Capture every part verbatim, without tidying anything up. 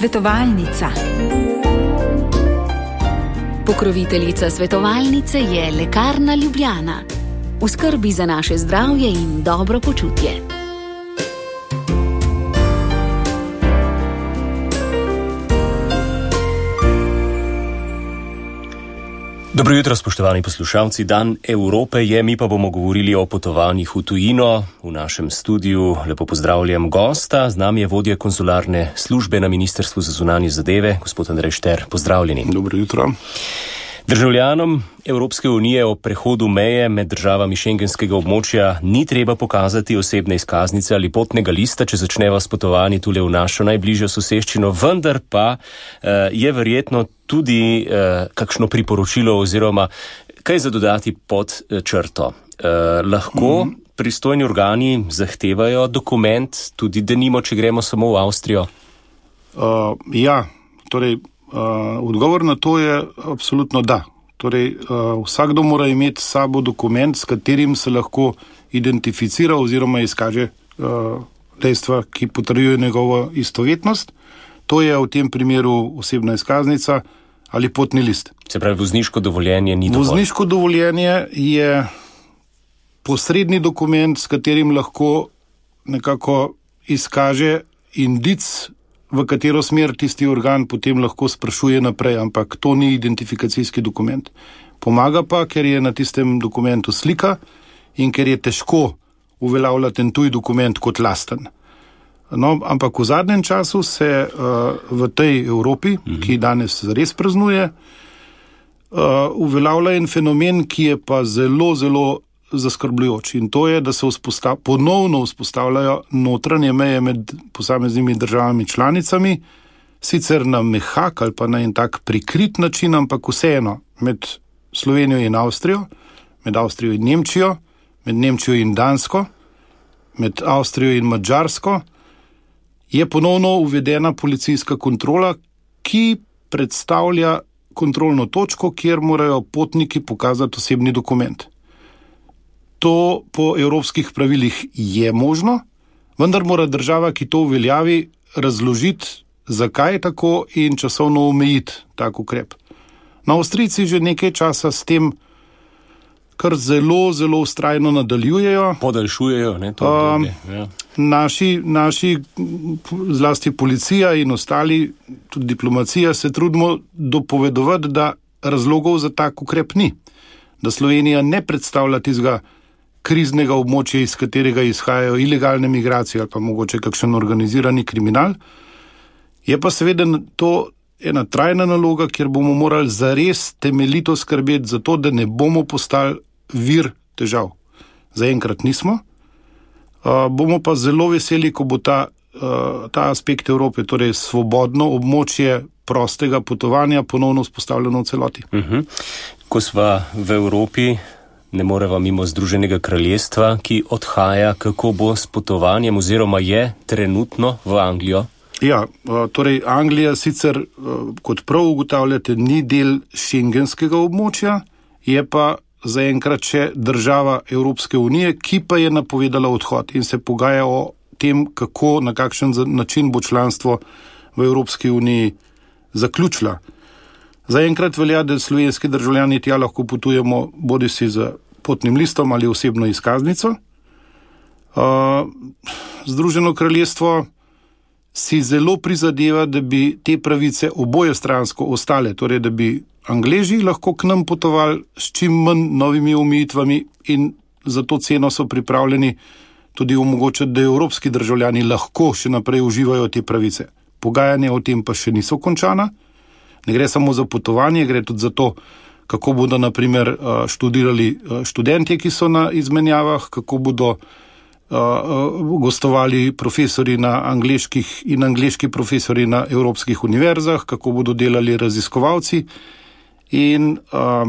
Svetovalnica. Pokroviteljica svetovalnice je Lekarna Ljubljana. V skrbi za naše zdravje in dobro počutje. Dobro jutro, spoštovani poslušalci. Dan Evrope je, mi pa bomo govorili o potovanjih v tujino. V našem studiu lepo pozdravljam gosta. Z nami je vodja konzularne službe na Ministrstvu za zunanje zadeve, gospod Andrej Šter. Pozdravljeni. Dobro jutro. Državljanom Evropske unije o prehodu meje med državami šengenskega območja ni treba pokazati osebne izkaznice ali potnega lista, če začneva s potovanji tule v našo najbližjo soseščino, vendar pa uh, je verjetno tudi uh, kakšno priporočilo oziroma kaj za dodati pod uh, črto. Uh, lahko mm. pristojni organi zahtevajo dokument, tudi denimo, če gremo samo v Avstrijo? Uh, ja, torej Uh, odgovor na to je absolutno da. Torej, uh, vsakdo mora imeti s sabo dokument, s katerim se lahko identificira oziroma izkaže uh, dejstva, ki potrjuje njegovo istovetnost. To je v tem primeru osebna izkaznica ali potni list. Se pravi, vozniško dovoljenje ni dovolj? Vozniško dovoljenje je posredni dokument, s katerim lahko nekako izkaže indic, v katero smer tisti organ potem lahko sprašuje naprej, ampak to ni identifikacijski dokument. Pomaga pa, ker je na tistem dokumentu slika in ker je težko uveljavljati ten tuj dokument kot lasten. No, ampak v zadnjem času se uh, v tej Evropi, mm-hmm. ki danes res praznuje, uh, uveljavlja en fenomen, ki je pa zelo, zelo zaskrbljujoč. In to je, da se vzpostav, ponovno vzpostavljajo notranje meje med posameznimi državami članicami, sicer na mehak ali pa na en tak prikrit način, ampak vseeno med Slovenijo in Avstrijo, med Avstrijo in Nemčijo, med Nemčijo in Dansko, med Avstrijo in Madžarsko, je ponovno uvedena policijska kontrola, ki predstavlja kontrolno točko, kjer morajo potniki pokazati osebni dokument. To po evropskih pravilih je možno, vendar mora država, ki to uveljavi, razložiti, zakaj je tako in časovno omejiti tak ukrep. Na Avstrijci že nekaj časa s tem kar zelo, zelo vztrajno nadaljujejo. Podaljšujejo, ne, to obdobje. Ja. Naši, naši, zlasti policija in ostali, tudi diplomacija, se trudimo dopovedovati, da razlogov za tak ukrep ni. Da Slovenija ne predstavlja tistega kriznega območja, iz katerega izhajajo ilegalne migracije ali pa mogoče kakšen organizirani kriminal. Je pa seveda to ena trajna naloga, kjer bomo morali zares temeljito skrbeti za to, da ne bomo postali vir težav. Zaenkrat nismo. Uh, bomo pa zelo veseli, ko bo ta, uh, ta aspekt Evrope, torej svobodno območje prostega potovanja, ponovno vzpostavljeno v celoti. Uh-huh. Ko sva v Evropi, ne moreva mimo Združenega kraljestva, ki odhaja, kako bo s potovanjem oziroma je trenutno v Anglijo? Ja, torej Anglija sicer, kot prav ugotavljate, ni del šengenskega območja, je pa zaenkrat še država Evropske unije, ki pa je napovedala odhod in se pogaja o tem, kako, na kakšen način bo članstvo v Evropski uniji zaključila. Zaenkrat velja, da slovenski državljani tja lahko potujemo bodisi z potnim listom ali osebno izkaznico. Uh, Združeno kraljestvo si zelo prizadeva, da bi te pravice obojestransko ostale, torej da bi Angleži lahko k nam potovali s čim manj novimi omejitvami in za to ceno so pripravljeni tudi omogočati, da evropski državljani lahko še naprej uživajo te pravice. Pogajanja o tem pa še niso končana. Ne gre samo za potovanje, gre tudi za to, kako bodo na primer študirali študentje, ki so na izmenjavah, kako bodo gostovali profesori na angleških in angleški profesori na evropskih univerzah, kako bodo delali raziskovalci. In uh,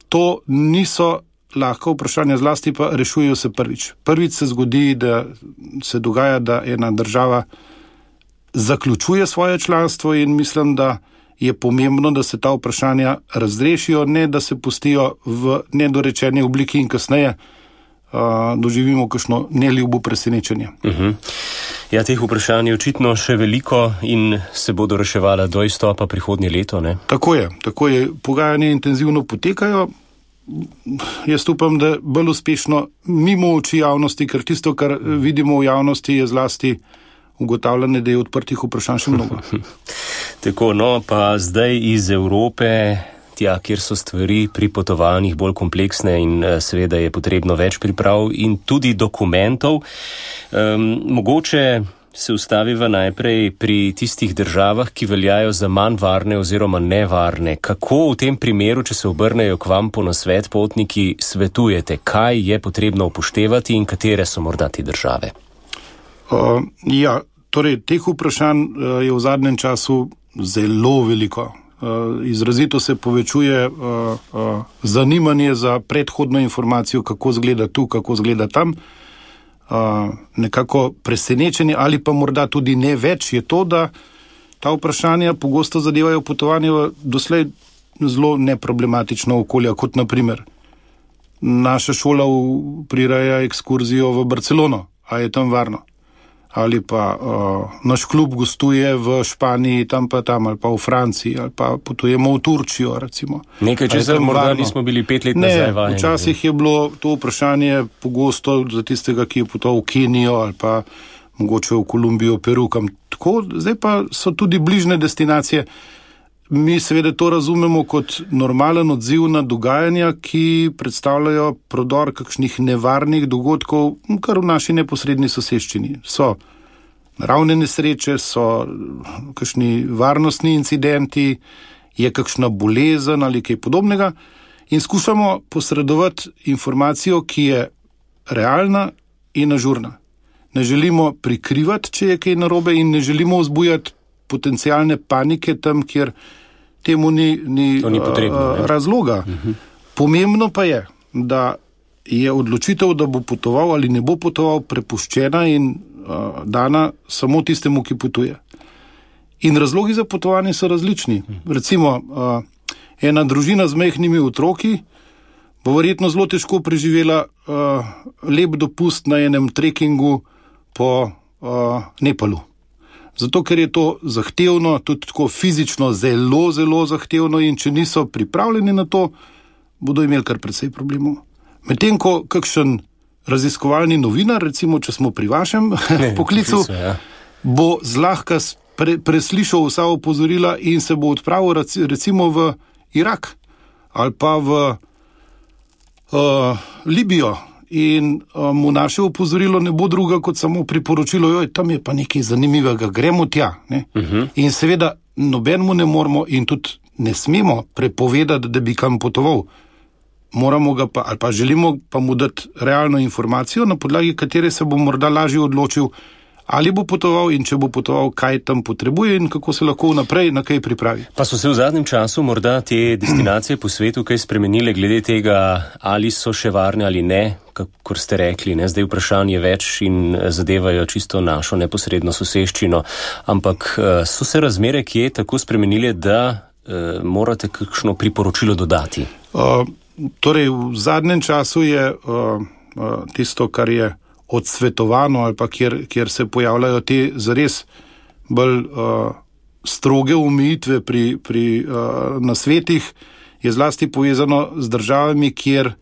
to niso lahko vprašanja, zlasti pa rešujejo se prvič. Prvič se zgodi, da se dogaja, da ena država zaključuje svoje članstvo in mislim, da je pomembno, da se ta vprašanja razrešijo, ne da se pustijo v nedorečeni obliki in kasneje uh, doživimo kakšno neljubo presenečenje. Uh-huh. Ja, teh vprašanj je očitno še veliko in se bodo reševala do izstopa prihodnje leto, ne? Tako je, tako je. Pogajanja intenzivno potekajo. Jaz upam, da bolj uspešno mimo oči javnosti, ker tisto, kar vidimo v javnosti, je zlasti ugotavljanje, da je odprtih vprašanj še mnogo. Tako, no, pa zdaj iz Evrope, tja, kjer so stvari pri potovanjih bolj kompleksne in seveda je potrebno več priprav in tudi dokumentov. Um, mogoče se ustaviva najprej pri tistih državah, ki veljajo za manj varne oziroma nevarne. Kako v tem primeru, če se obrnejo k vam po nasvet potniki, svetujete, kaj je potrebno upoštevati in katere so morda te države? Uh, ja, torej, teh vprašanj uh, je v zadnjem času zelo veliko. Uh, izrazito se povečuje uh, uh, zanimanje za predhodno informacijo, kako zgleda tu, kako zgleda tam. Uh, nekako presenečenje ali pa morda tudi ne več je to, da ta vprašanja pogosto zadevajo potovanje v doslej zelo neproblematično okolje, kot naprimer naša šola prireja ekskurzijo v Barcelono, a je tam varno? Ali pa uh, naš klub gostuje v Španiji, tam pa tam, ali pa v Franciji, ali pa potujemo v Turčijo, recimo. Nekaj česar morda nismo bili pet let nazaj vajeni. Ne, včasih je bilo to vprašanje pogosto za tistega, ki je potoval v Kenijo, ali pa mogoče v Kolumbijo, Peru, kam tako. Zdaj pa so tudi bližne destinacije. Mi seveda to razumemo kot normalen odziv na dogajanja, ki predstavljajo prodor kakšnih nevarnih dogodkov, kar v naši neposredni soseščini. So naravne nesreče, so kakšni varnostni incidenti, je kakšna bolezen ali kaj podobnega in skušamo posredovati informacijo, ki je realna in ažurna. Ne želimo prikrivati, če je kaj narobe in ne želimo vzbujati potencialne panike tam, kjer temu ni, ni, ni potrebno, uh, razloga. Uh-huh. Pomembno pa je, da je odločitev, da bo potoval ali ne bo potoval, prepuščena in uh, dana samo tistemu, ki potuje. In razlogi za potovanje so različni. Uh-huh. Recimo, uh, ena družina z majhnimi otroki bo verjetno zelo težko preživela uh, lep dopust na enem trekingu po uh, Nepalu. Zato, ker je to zahtevno, tudi tako fizično zelo, zelo zahtevno in če niso pripravljeni na to, bodo imeli kar precej problemov. Medtem, ko kakšen raziskovalni novinar, recimo, če smo pri vašem ne, poklicu, poklicu ja. bo zlahka pre, preslišal vsa opozorila in se bo odpravil recimo v Irak ali pa v uh, Libijo. In uh, mu naše opozorilo ne bo druga kot samo priporočilo, joj, tam je pa nekaj zanimivega, gremo tja. Ne? Uh-huh. In seveda nobenemu ne moramo in tudi ne smemo prepovedati, da bi kam potoval. Moramo ga pa, ali pa želimo pa mu dati realno informacijo, na podlagi katere se bo morda lažje odločil, ali bo potoval in če bo potoval, kaj tam potrebuje in kako se lahko vnaprej na kaj pripravi. Pa so se v zadnjem času morda te destinacije po svetu kaj spremenile glede tega, ali so še varne ali ne, kakor ste rekli, ne? Zdaj vprašanje več in zadevajo čisto našo neposredno soseščino, ampak so se razmere kje tako spremenile, da uh, morate kakšno priporočilo dodati? Uh, torej, v zadnjem času je uh, uh, tisto, kar je odsvetovano ali pa kjer, kjer se pojavljajo te zares bolj uh, stroge omejitve pri, pri uh, nasvetih, je zlasti povezano z državami, kjer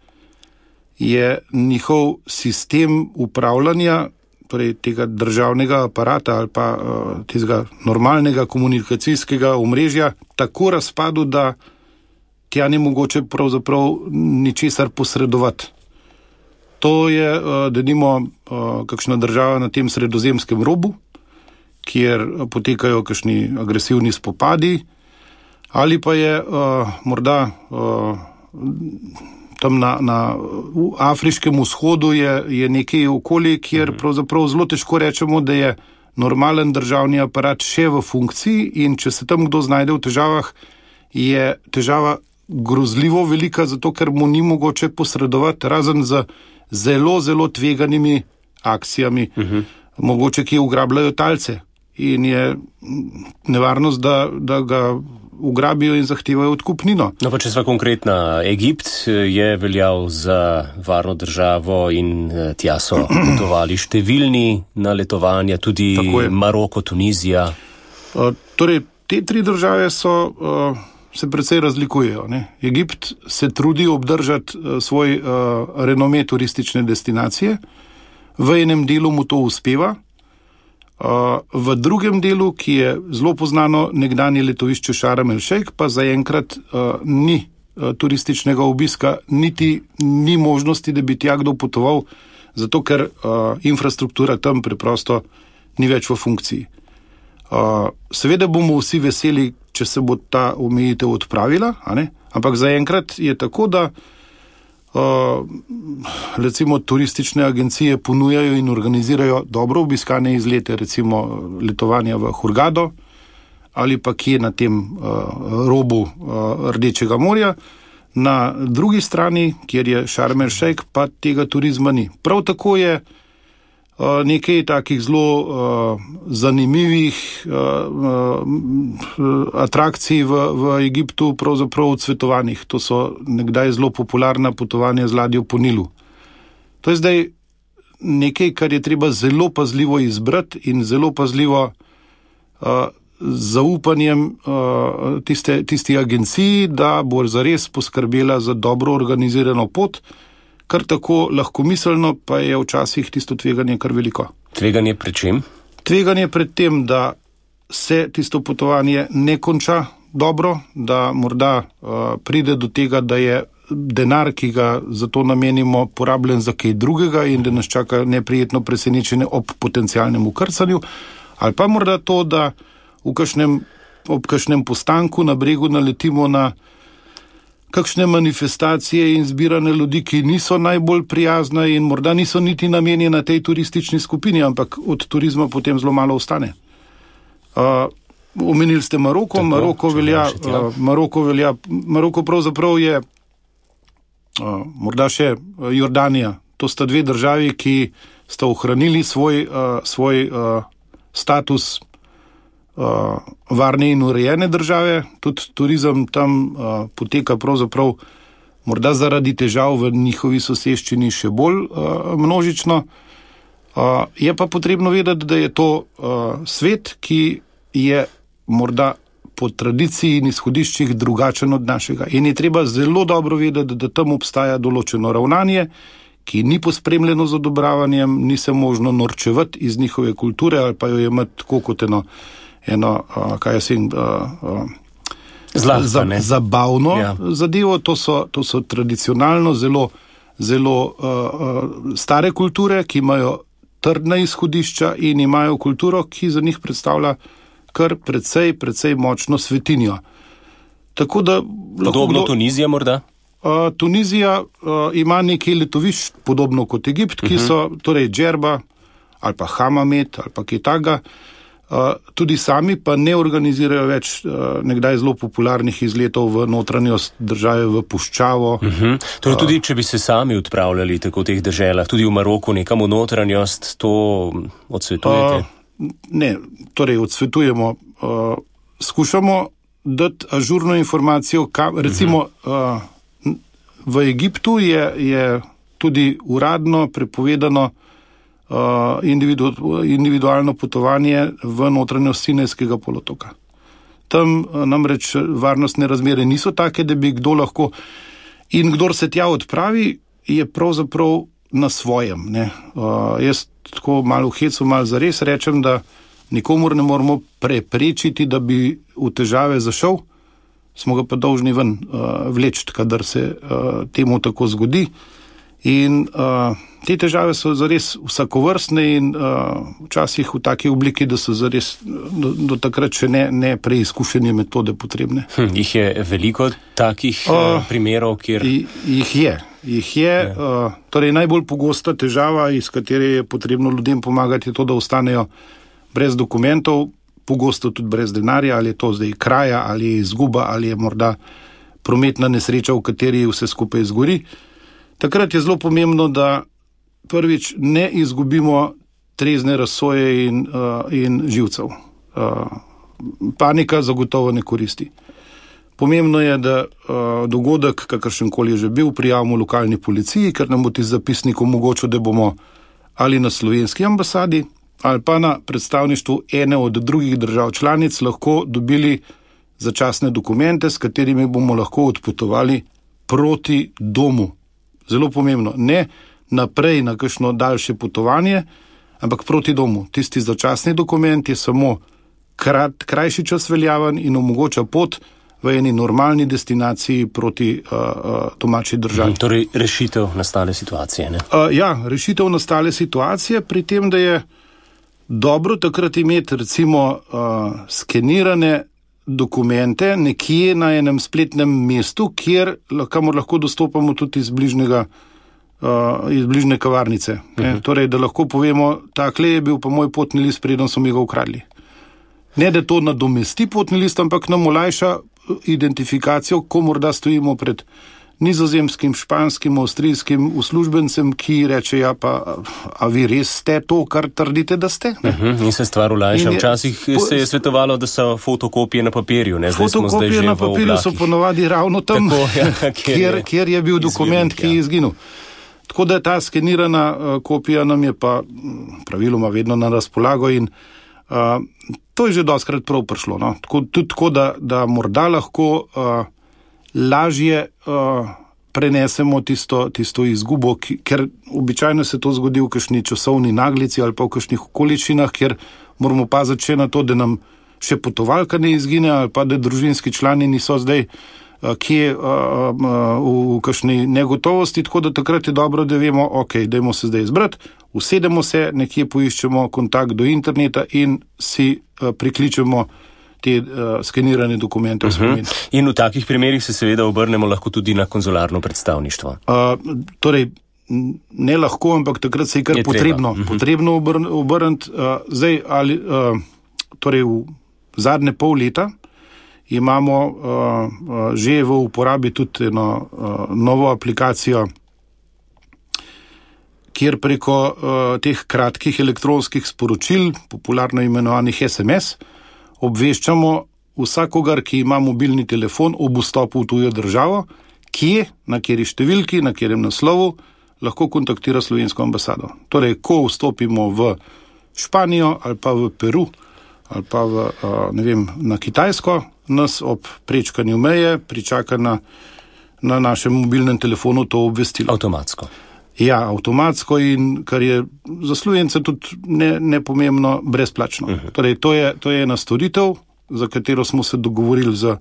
je njihov sistem upravljanja, torej tega državnega aparata ali pa uh, tega normalnega komunikacijskega omrežja tako razpadu, da tja ni mogoče pravzaprav ničesar posredovati. To je, denimo, kakšna država na tem sredozemskem robu, kjer potekajo kakšni agresivni spopadi, ali pa je morda tam na, na afriškem vzhodu je, je nekaj okolje, kjer pravzaprav zelo težko rečemo, da je normalen državni aparat še v funkciji in če se tam kdo znajde v težavah, je težava grozljivo velika, zato ker mu ni mogoče posredovati, razen za zelo, zelo tveganimi akcijami, uh-huh. mogoče ki ugrabljajo talce in je nevarnost, da, da ga ugrabijo in zahtevajo odkupnino. No pa če sva konkretna, Egipt je veljal za varno državo in tja so potovali številni na letovanja, tudi Maroko, Tunizija. Uh, torej, te tri države so, uh, se precej razlikujejo. Ne? Egipt se trudi obdržati uh, svoj uh, renome turistične destinacije, v enem delu mu to uspeva, uh, v drugem delu, ki je zelo poznano, nekdanje letovišče Sharm el Sheikh, pa zaenkrat uh, ni uh, turističnega obiska, niti ni možnosti, da bi tja kdo potoval, zato ker uh, infrastruktura tam preprosto ni več v funkciji. Uh, seveda bomo vsi veseli, če se bo ta omejitev odpravila, a ne? Ampak zaenkrat je tako, da uh, recimo turistične agencije ponujajo in organizirajo dobro obiskane izlete, recimo letovanja v Hurgado ali pa kje na tem uh, robu uh, Rdečega morja. Na drugi strani, kjer je Sharm el Sheikh, pa tega turizma ni. Prav tako je Uh, nekaj takih zelo uh, zanimivih uh, uh, atrakcij v, v Egiptu, pravzaprav odsvetovanih. To so nekdaj zelo popularna potovanja z ladjo po Nilu. To je zdaj nekaj, kar je treba zelo pazljivo izbrati in zelo pazljivo uh, zaupanjem uh, tiste, tisti agenciji, da bo zares poskrbela za dobro organizirano pot, kar tako lahkomiselno, pa je včasih tisto tveganje kar veliko. Tveganje pred čem? Tveganje pred tem, da se tisto potovanje ne konča dobro, da morda uh, pride do tega, da je denar, ki ga za to namenimo, porabljen za kaj drugega in da nas čaka neprijetno presenečenje ob potencialnem ukrcanju, ali pa morda to, da v kakšnem, ob kakšnem postanku na bregu naletimo na kakšne manifestacije in zbirane ljudi, ki niso najbolj prijazne in morda niso niti namenjene tej turistični skupini, ampak od turizma potem zelo malo ostane. Uh, omenili ste Maroko, Tako, Maroko velja, uh, Maroko velja, Maroko pravzaprav je uh, morda še Jordanija. To sta dve državi, ki sta ohranili svoj, uh, svoj uh, status Uh, varne in urejene države, tudi turizem tam uh, poteka pravzaprav morda zaradi težav v njihovi soseščini še bolj uh, množično. Uh, je pa potrebno vedeti, da je to uh, svet, ki je morda po tradiciji in izhodiščih drugačen od našega. In je treba zelo dobro vedeti, da tam obstaja določeno ravnanje, ki ni pospremljeno z odobravanjem, ni se možno norčevati iz njihove kulture ali pa jo imeti tako kot eno eno, uh, kaj jaz vem, uh, uh, Zlahka, za, zabavno ja. zadevo. To so, to so tradicionalno zelo, zelo uh, uh, stare kulture, ki imajo trdna izhodišča in imajo kulturo, ki za njih predstavlja kar precej, precej močno svetinjo. Tako da... Podobno kdo, Tunizija morda? Uh, Tunizija uh, ima nekaj letovišč, podobno kot Egipt, ki uh-huh. so, torej Džerba ali pa Hamamet ali pa kaj takega. Uh, tudi sami pa ne organizirajo več uh, nekdaj zelo popularnih izletov v notranjost države, v puščavo. Uh-huh. Torej tudi, če bi se sami odpravljali tako v teh deželah, tudi v Maroku, nekam v notranjost, to odsvetujete? Uh, ne, torej odsvetujemo. Uh, skušamo dati ažurno informacijo, kam, recimo uh-huh. uh, v Egiptu je, je tudi uradno prepovedano Uh, individu, individualno potovanje v notranjost Sinajskega polotoka. Tam uh, namreč varnostne razmere niso take, da bi kdo lahko, in kdor se tja odpravi, je pravzaprav na svojem. Ne? Uh, jaz tako malo v hecu, malo zares rečem, da nikomur ne moramo preprečiti, da bi v težave zašel, smo ga pa dolžni ven uh, vleči, kadar se uh, temu tako zgodi. In uh, te težave so zares vsakovrstne in uh, včasih v taki obliki, da so zares do, do takrat še ne, ne preizkušenje metode potrebne. Hm, jih je veliko takih uh, primerov, kjer... Jih je. Jih je. Uh, torej najbolj pogosta težava, iz katere je potrebno ljudem pomagati, je to, da ostanejo brez dokumentov, pogosto tudi brez denarja, ali je to zdaj kraja, ali je izguba, ali je morda prometna nesreča, v kateri vse skupaj izgori. Takrat je zelo pomembno, da prvič ne izgubimo trezne razsoje in, uh, in živcev. Uh, panika zagotovo ne koristi. Pomembno je, da uh, dogodek, kakršenkoli je že bil, prijavimo lokalni policiji, ker nam bo ti zapisnik omogočil, da bomo ali na slovenski ambasadi ali pa na predstavništvu ene od drugih držav članic lahko dobili začasne dokumente, s katerimi bomo lahko odpotovali proti domu. Zelo pomembno. Ne naprej na kakšno daljše potovanje, ampak proti domu. Tisti začasni dokument je samo krat, krajši čas veljaven in omogoča pot v eni normalni destinaciji proti uh, uh, domači državi. Hmm, torej rešitev nastale situacije, ne? Uh, ja, rešitev nastale situacije, pri tem, da je dobro takrat imeti recimo uh, skenirane dokumente nekje na enem spletnem mestu, kjer kamor lahko dostopamo tudi iz bližnjega Uh, iz bližnje kavarnice. Uh-huh. Torej, da lahko povemo, takle je bil pa moj potni list, preden so mi ga ukradli. Ne, da to nadomesti potni list, ampak nam olajša identifikacijo, ko morda stojimo pred nizozemskim, španskim, avstrijskim uslužbencem, ki reče, ja pa, a vi res ste to, kar trdite, da ste? Uh-huh. In se stvar olajša. Včasih po, se je svetovalo, da so fotokopije na papirju. Ne? Zdaj fotokopije na papirju so ponovadi ravno tam, Tako, ja, kjer, kjer, kjer je bil dokument, izginil, ki je izginil. Tako da ta skenirana uh, kopija nam je pa praviloma vedno na razpolago in uh, to je že dostkrat prav prišlo. No? Tako, tudi tako, da, da morda lahko uh, lažje uh, prenesemo tisto, tisto izgubo, ki, ker običajno se to zgodi v kakšni časovni naglici ali pa v kakšnih okoličinah, kjer moramo paziti še na to, da nam še potovalka ne izgine ali pa da družinski člani niso zdaj kje uh, uh, v, v kakšni negotovosti, tako da takrat je dobro, da vemo, ok, dajmo se zdaj izbrati, usedemo se, nekje poiščemo kontakt do interneta in si uh, prikličemo te uh, skenirane dokumente. Uh-huh. In v takih primerih se seveda obrnemo lahko tudi na konzularno predstavništvo. Uh, torej, ne lahko, ampak takrat se je kar je potrebno, uh-huh. potrebno obrn, obrniti. Uh, zdaj, ali, uh, torej v zadnje pol leta imamo uh, uh, že v uporabi tudi eno uh, novo aplikacijo, kjer preko uh, teh kratkih elektronskih sporočil, popularno imenovanih es em es, obveščamo vsakogar, ki ima mobilni telefon ob vstopu v tujo državo, kje, na kateri številki, na katerem naslovu lahko kontaktira slovensko ambasado. Torej, ko vstopimo v Španijo ali pa v Peru ali pa v, uh, ne vem, na Kitajsko, nas ob prečkanju meje pričaka na, na našem mobilnem telefonu to obvestilo. Avtomatsko. Ja, avtomatsko in kar je za Slovence tudi ne, nepomembno, brezplačno. Uh-huh. Torej, to je, to je ena storitev, za katero smo se dogovorili z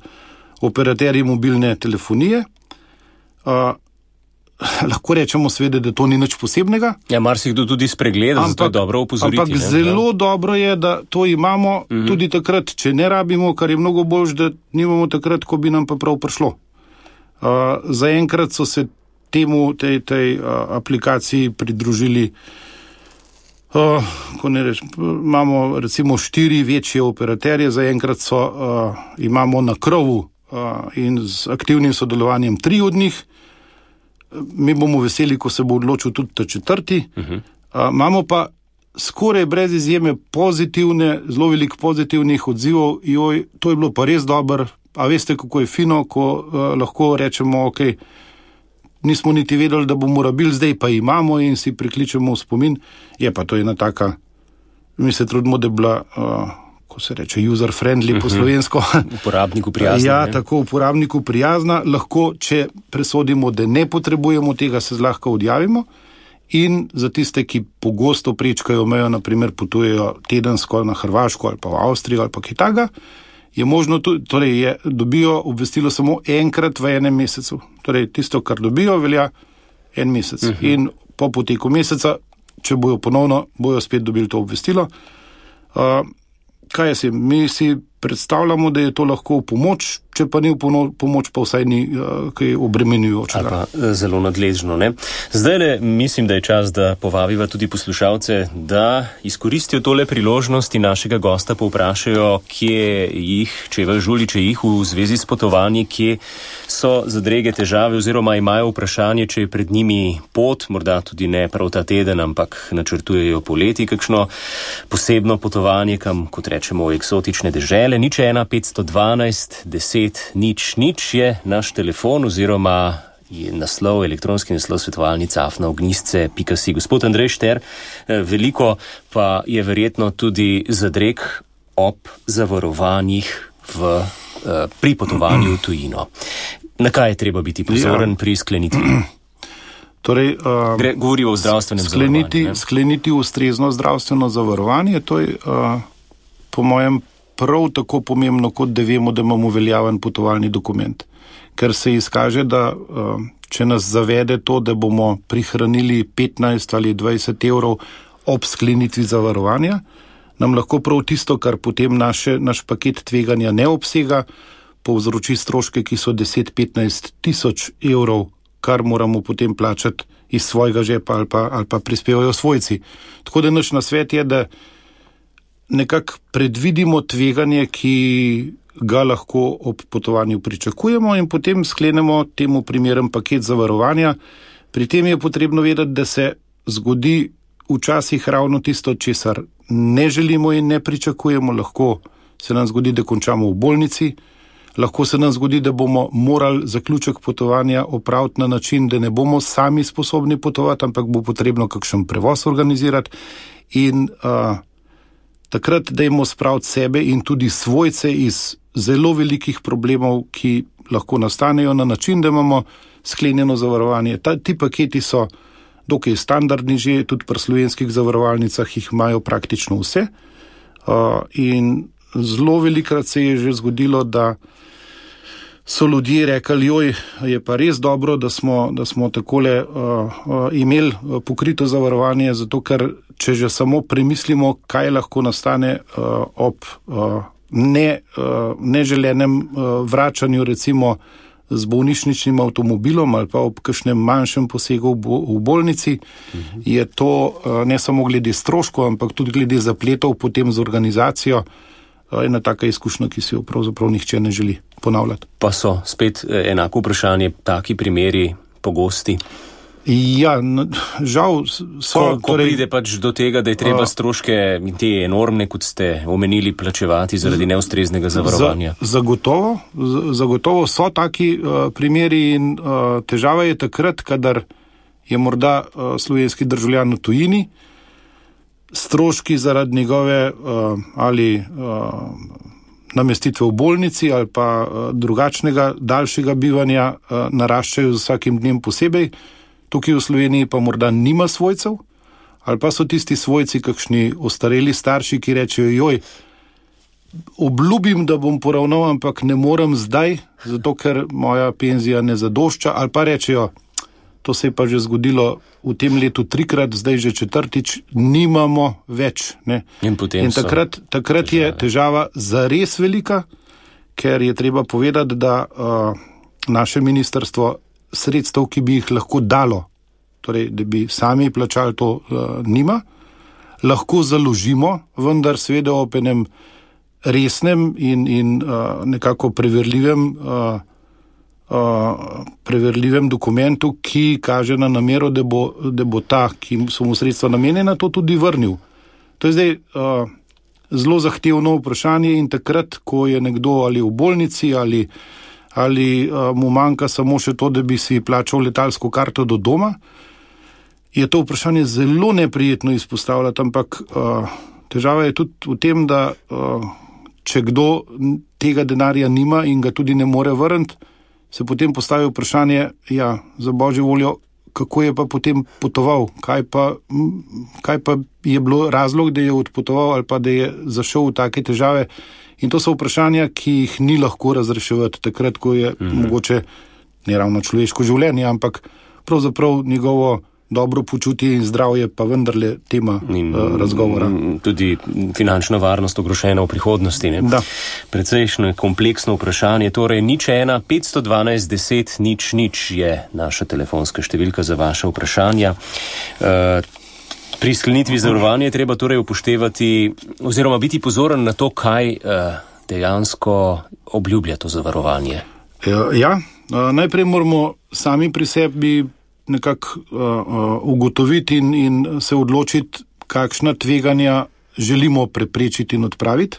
operaterji mobilne telefonije. Uh, lahko rečemo seveda, da to ni nič posebnega. Ja, marsikdo tudi spregleda, ampak, zato je dobro opozoriti. Ampak ne, zelo da? dobro je, da to imamo uh-huh. tudi takrat, če ne rabimo, kar je mnogo bolj, da nimamo takrat, ko bi nam pa prav prišlo. Uh, zaenkrat so se temu, tej, tej uh, aplikaciji pridružili, uh, ko ne reč, imamo recimo štiri večje operaterje, zaenkrat so, uh, imamo na krovu uh, in z aktivnim sodelovanjem tri od njih. Mi bomo veseli, ko se bo odločil tudi ta četrti. Uh-huh. Uh, imamo pa skoraj brez izjeme pozitivne, zelo veliko pozitivnih odzivov. Joj, to je bilo pa res dobro. A veste, kako je fino, ko uh, lahko rečemo, ok, nismo niti vedeli, da bomo rabili, zdaj pa imamo in si prikličemo v spomin. Je pa to ena taka, mi se trudimo, da je bila, uh, ko se reče, user-friendly uh-huh. po slovensko. Uporabniku prijazna. Ja, ne? tako, uporabniku prijazna. Lahko, če presodimo, da ne potrebujemo tega, se zlahka odjavimo. In za tiste, ki pogosto prečkajo mejo, naprimer potujejo tedensko na Hrvaško ali pa v Avstrijo ali pa kaj takega, je možno, torej je, dobijo obvestilo samo enkrat v enem mesecu. Torej, tisto, kar dobijo, velja en mesec. Uh-huh. In po poteku meseca, če bojo ponovno, bojo spet dobili to obvestilo. Uh, kaj je si? Mi si predstavljamo, da je to lahko v pomoč, če pa ni v pomoč, pa vsaj ni uh, kaj obremenjujoče. Ali pa zelo nadležno, ne? Zdaj le mislim, da je čas, da povabiva tudi poslušalce, da izkoristijo tole priložnosti našega gosta, povprašajo, kje jih, če je žuli, če jih v zvezi s potovanji, kje so zadrege težave oziroma imajo vprašanje, če je pred njimi pot, morda tudi ne prav ta teden, ampak načrtujejo poleti kakšno posebno potovanje, kam, kot rečemo, v eksotične dežele. Nič ena petsto dvanajst deset deset nič nič je naš telefon oziroma je naslov, elektronski naslov svetovalnica afna ognjisce pika si. Gospod Andrej Šter, veliko pa je verjetno tudi zadreg ob zavarovanjih v, pri potovanju v tujino. Na kaj je treba biti pozoren ja. pri sklenitvi? Torej, uh, Gre, govori o zdravstvenem skleniti, zavarovanju. Skleniti ustrezno zdravstveno zavarovanje, to je uh, po mojem prav tako pomembno, kot da vemo, da imamo veljaven potovalni dokument. Ker se izkaže, da uh, če nas zavede to, da bomo prihranili petnajst ali dvajset evrov ob sklenitvi zavarovanja, nam lahko prav tisto, kar potem naše, naš paket tveganja ne obsega, povzroči stroške, ki so deset do petnajst tisoč evrov, kar moramo potem plačati iz svojega žepa ali pa, ali pa prispevajo svojci. Tako da naš nasvet je, da nekako predvidimo tveganje, ki ga lahko ob potovanju pričakujemo in potem sklenemo temu primeren paket zavarovanja. Pri tem je potrebno vedeti, da se zgodi včasih ravno tisto, česar ne želimo in ne pričakujemo. Lahko se nam zgodi, da končamo v bolnici, lahko se nam zgodi, da bomo morali zaključek potovanja opraviti na način, da ne bomo sami sposobni potovati, ampak bo potrebno kakšen prevoz organizirati in uh, takrat dajmo spraviti sebe in tudi svojce iz zelo velikih problemov, ki lahko nastanejo na način, da imamo sklenjeno zavarovanje. Ta, ti paketi so dokaj standardni že, tudi pri slovenskih zavarovalnicah jih imajo praktično vse. Uh, in zelo velikrat se je že zgodilo, da so ljudje rekli, joj, je pa res dobro, da smo, da smo takole uh, uh, imeli pokrito zavarovanje, zato ker če že samo premislimo, kaj lahko nastane uh, ob uh, ne, uh, neželenem uh, vračanju recimo z bolnišničnim avtomobilom ali pa ob kakšnem manjšem posegu v, bo, v bolnici, mhm. je to uh, ne samo glede stroškov, ampak tudi glede zapletov potem z organizacijo ena taka izkušnja, ki si jo pravzaprav nihče ne želi ponavljati. Pa so spet enako vprašanje, taki primeri pogosti? Ja, no, žal so... Ko, ko torej, pride pač do tega, da je treba a, stroške te enormne, kot ste omenili, plačevati zaradi neustreznega zavarovanja? Za, zagotovo, zagotovo so taki uh, primeri in uh, težava je takrat, kadar je morda uh, slovenski državljan v tujini, stroški zaradi njegove uh, ali uh, namestitve v bolnici ali pa uh, drugačnega, daljšega bivanja uh, naraščajo z vsakim dnem posebej. Tukaj v Sloveniji pa morda nima svojcev, ali pa so tisti svojci kakšni ostareli starši, ki rečejo, joj, obljubim, da bom poravnal, ampak ne morem zdaj, zato ker moja penzija ne zadošča, ali pa rečejo, to se je pa že zgodilo v tem letu trikrat, zdaj že četrtič, nimamo več. Ne? In, In takrat, takrat je težava zares velika, ker je treba povedati, da uh, naše ministrstvo sredstev, ki bi jih lahko dalo, torej, da bi sami plačali to, uh, nima, lahko založimo, vendar seveda ob enem resnem in, in uh, nekako preverljivem uh, Uh, preverljivem dokumentu, ki kaže na namero, da bo, da bo ta, ki so mu sredstva namenjena, to tudi vrnil. To je zdaj uh, zelo zahtevno vprašanje in takrat, ko je nekdo ali v bolnici ali, ali uh, mu manjka samo še to, da bi si plačal letalsko karto do doma, je to vprašanje zelo neprijetno izpostavljati, ampak uh, težava je tudi v tem, da uh, če kdo tega denarja nima in ga tudi ne more vrniti, se potem postavi vprašanje, ja, za božjo voljo, kako je pa potem potoval, kaj pa, kaj pa je bilo razlog, da je odpotoval ali pa da je zašel v take težave. In to so vprašanja, ki jih ni lahko razreševati takrat, ko je mm-hmm. mogoče ne ravno človeško življenje, ampak pravzaprav njegovo dobro počutje in zdravje pa vendarle tema in, uh, razgovora. Tudi finančna varnost ogrožena v prihodnosti. Ne? Da. Precejšnje kompleksno vprašanje. Torej, nič ena, petsto dvanajst, deset, nič, nič je naša telefonska številka za vaše vprašanja. Uh, pri sklenitvi zavarovanja je treba torej upoštevati oziroma biti pozoren na to, kaj uh, dejansko obljublja to zavarovanje. Ja, ja. Uh, najprej moramo sami pri sebi nekako uh, uh, ugotoviti in, in se odločiti, kakšna tveganja želimo preprečiti in odpraviti.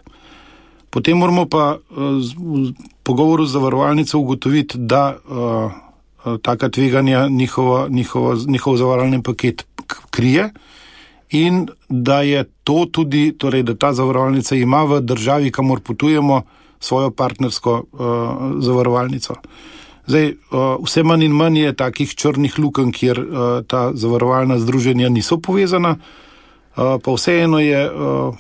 Potem moramo pa v pogovoru z zavarovalnico ugotoviti, da taka tveganja njihova, njihova, njihov zavarovalni paket krije in da je to tudi, torej da ta zavarovalnica ima v državi, kamor potujemo, svojo partnersko uh, zavarovalnico. Zdaj, uh, vse manj in manj je takih črnih lukenj, kjer uh, ta zavarovalna združenja niso povezana, uh, pa vseeno je uh,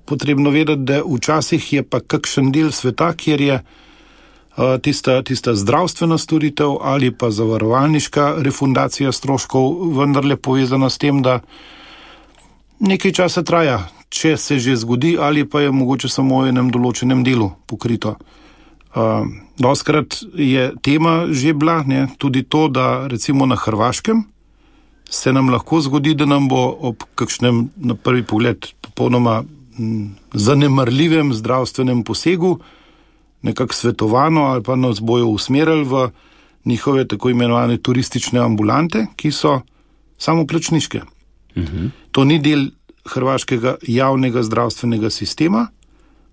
potrebno vedeti, da včasih je pa kakšen del sveta, kjer je uh, tista, tista zdravstvena storitev ali pa zavarovalniška refundacija stroškov vendarle povezana s tem, da nekaj časa traja, če se že zgodi, ali pa je mogoče samo v enem določenem delu pokrito. Uh, doskrat je tema že bila, ne, tudi to, da recimo na Hrvaškem se nam lahko zgodi, da nam bo ob kakšnem, na prvi pogled, popolnoma m, zanemarljivem zdravstvenem posegu nekako svetovano ali pa nas bojo usmerili v njihove tako imenovane turistične ambulante, ki so samoplačniške. Mhm. To ni del hrvaškega javnega zdravstvenega sistema,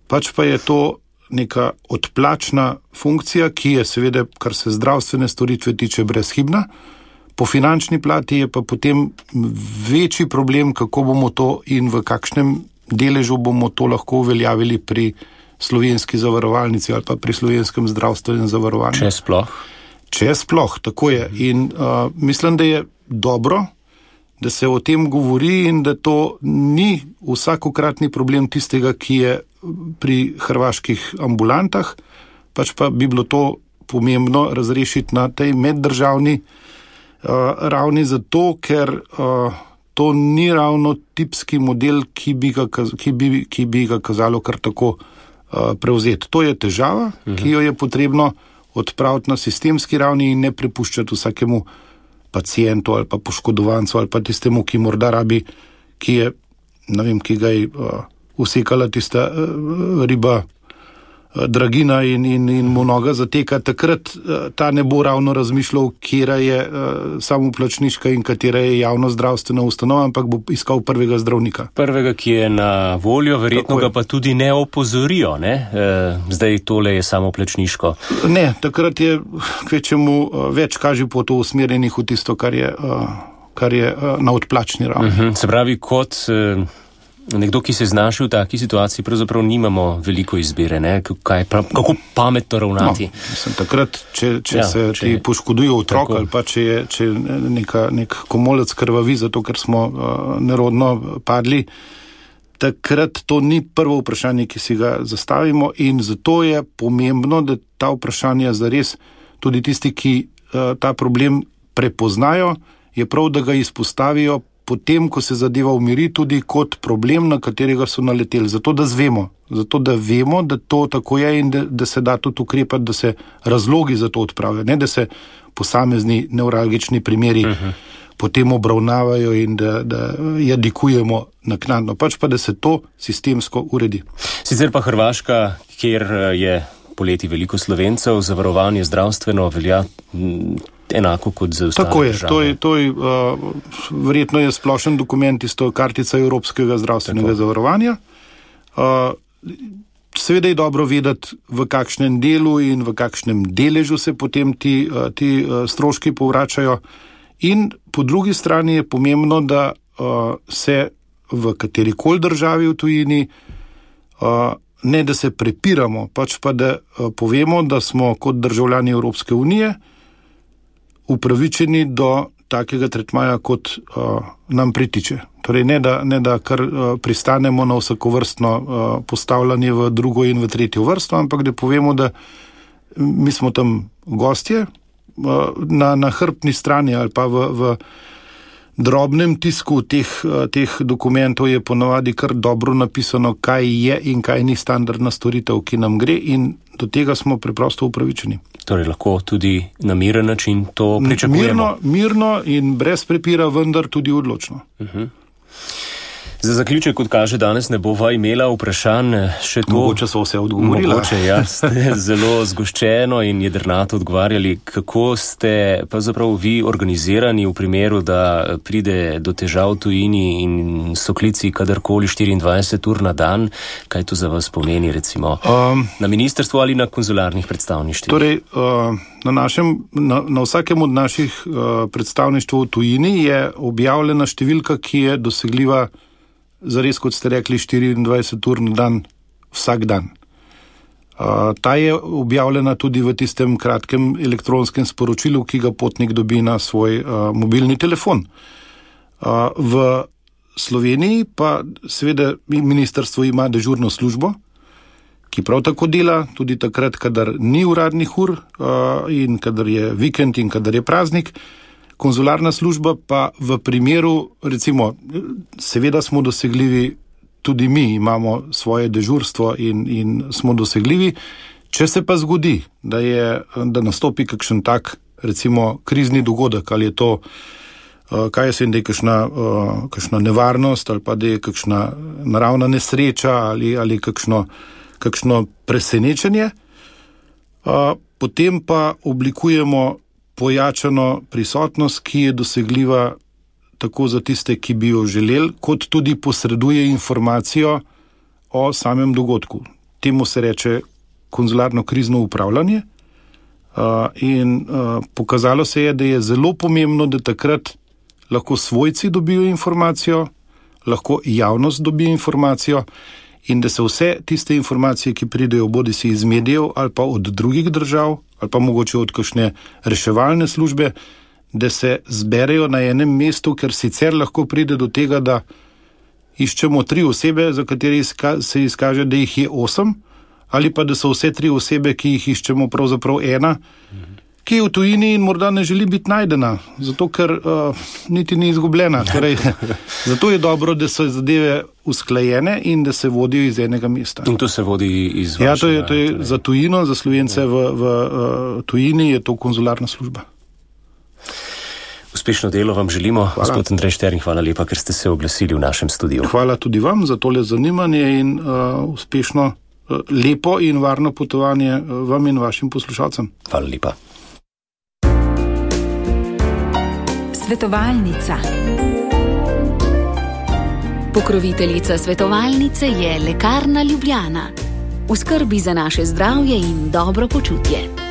pač pa je to neka odplačna funkcija, ki je seveda, kar se zdravstvene storitve tiče, brezhibna. Po finančni plati je pa potem večji problem, kako bomo to in v kakšnem deležu bomo to lahko uveljavili pri slovenski zavarovalnici ali pa pri slovenskem zdravstvenem zavarovanju. Če sploh. Če sploh, tako je. In uh, mislim, da je dobro, da se o tem govori in da to ni vsakokratni problem tistega, ki je pri hrvaških ambulantah, pač pa bi bilo to pomembno razrešiti na tej meddržavni uh, ravni, zato ker uh, to ni ravno tipski model, ki bi ga, ki bi, ki bi ga kazalo kar tako uh, prevzeti. To je težava, uh-huh. ki jo je potrebno odpraviti na sistemski ravni in ne prepuščati vsakemu pacientu ali pa poškodovancu ali pa tistemu, ki morda rabi, ki je, ne vem, ki ga je uh, usekala tista uh, riba uh, dragina in, in, in mu noga zateka, takrat uh, ta ne bo ravno razmišljal, katera je uh, samoplačniška in katera je javno zdravstvena ustanova, ampak bo iskal prvega zdravnika. Prvega, ki je na voljo, verjetno ga pa tudi ne opozorijo, ne? E, zdaj tole je samoplačniško. Ne, takrat je kvečemu uh, več kaži po to usmerjenih v tisto, kar je, uh, kar je uh, na odplačni ravni. Uh-huh. Se pravi, kot uh, nekdo, ki se znaši v taki situaciji, pravzaprav nimamo veliko izbire, ne? Kaj, prav, kako pametno ravnati. No, mislim, takrat, če, če ja, se če ti poškoduje otrok ali pa če je če neka, nek komolec krvavi, zato ker smo uh, nerodno padli, takrat to ni prvo vprašanje, ki si ga zastavimo in zato je pomembno, da ta vprašanja zares tudi tisti, ki uh, ta problem prepoznajo, je prav, da ga izpostavijo potem, ko se zadeva umiri, tudi kot problem, na katerega so naleteli. Zato, da zvemo, zato, da vemo, da to tako je in da, da se da tudi ukrepati, da se razlogi za to odpravijo, ne da se posamezni nevralgični primeri uh-huh. potem obravnavajo in da, da jadikujemo naknadno, pač pa, da se to sistemsko uredi. Sicer pa Hrvaška, kjer je poleti veliko Slovencev, zavarovanje zdravstveno velja enako kot za ostale Tako je, države. to je, to je uh, verjetno je splošen dokument isto kartica Evropskega zdravstvenega Tako. zavarovanja. Uh, seveda je dobro vedeti, v kakšnem delu in v kakšnem deležu se potem ti, uh, ti uh, stroški povračajo. In po drugi strani je pomembno, da uh, se v katerikoli državi v tujini uh, ne da se prepiramo, pač pa da uh, povemo, da smo kot državljani Evropske unije upravičeni do takega tretmaja, kot uh, nam pritiče. Torej ne da, ne da kar uh, pristanemo na vsakovrstno uh, postavljanje v drugo in v tretjo vrsto, ampak da povemo, da mi smo tam gostje, uh, na, na hrbtni strani ali pa v, v drobnem tisku teh, uh, teh dokumentov je ponavadi kar dobro napisano, kaj je in kaj ni standardna storitev, ki nam gre in do tega smo preprosto upravičeni. Torej lahko tudi na miren način to pričakujemo. Mirno, mirno in brez prepira, vendar tudi odločno. Uh-huh. Za zaključek, kot kaže, danes ne bova imela vprašanj, še to. Mogoče so vse odgovorila. Mogoče, ja, ste zelo zgoščeno in jedrnato odgovarjali. Kako ste pa zapravo vi organizirani v primeru, da pride do težav v tujini in so klici kadarkoli štiriindvajset ur na dan? Kaj to za vas pomeni, recimo, um, na ministrstvu ali na konzularnih predstavništvih? Torej, uh, na, našem, na, na vsakem od naših uh, predstavništv v tujini je objavljena številka, ki je dosegljiva zares, kot ste rekli, štiriindvajset ur na dan, vsak dan. Uh, ta je objavljena tudi v tistem kratkem elektronskem sporočilu, ki ga potnik dobi na svoj uh, mobilni telefon. Uh, v Sloveniji pa seveda ministrstvo ima dežurno službo, ki prav tako dela tudi takrat, kadar ni uradnih ur uh, in kadar je vikend in kadar je praznik. Konzularna služba pa v primeru, recimo, seveda smo dosegljivi, tudi mi imamo svoje dežurstvo in, in smo dosegljivi. Če se pa zgodi, da, je, da nastopi kakšen tak, recimo, krizni dogodek, ali je to, uh, kaj jaz vem, da je kakšna, uh, kakšna nevarnost, ali pa da je kakšna naravna nesreča, ali, ali kakšno, kakšno presenečenje, uh, potem pa oblikujemo pojačano prisotnost, ki je dosegljiva tako za tiste, ki bi jo želeli, kot tudi posreduje informacijo o samem dogodku. Temu se reče konzularno krizno upravljanje uh, in uh, pokazalo se je, da je zelo pomembno, da takrat lahko svojci dobijo informacijo, lahko javnost dobi informacijo in da se vse tiste informacije, ki pridejo bodisi iz medijev ali pa od drugih držav ali pa mogoče od kakšne reševalne službe, da se zberejo na enem mestu, ker sicer lahko pride do tega, da iščemo tri osebe, za katere izka- se izkaže, da jih je osem, ali pa da so vse tri osebe, ki jih iščemo, pravzaprav ena, ki je v tujini in morda ne želi biti najdena, zato ker uh, niti ni izgubljena. Torej, zato je dobro, da so zadeve usklajene in da se vodijo iz enega mesta. In to se vodi iz vašega... Ja, to je, to je za tujino, za Slovence v, v uh, tujini je to konzularna služba. Uspešno delo vam želimo, hvala. Gospod Andrej Štern, hvala lepa, ker ste se oglasili v našem studiu. Hvala tudi vam za tole zanimanje in uh, uspešno, uh, lepo in varno potovanje uh, vam in vašim poslušalcem. Hvala lepa. Svetovalnica. Pokroviteljica svetovalnice je Lekarna Ljubljana. V skrbi za naše zdravje in dobro počutje.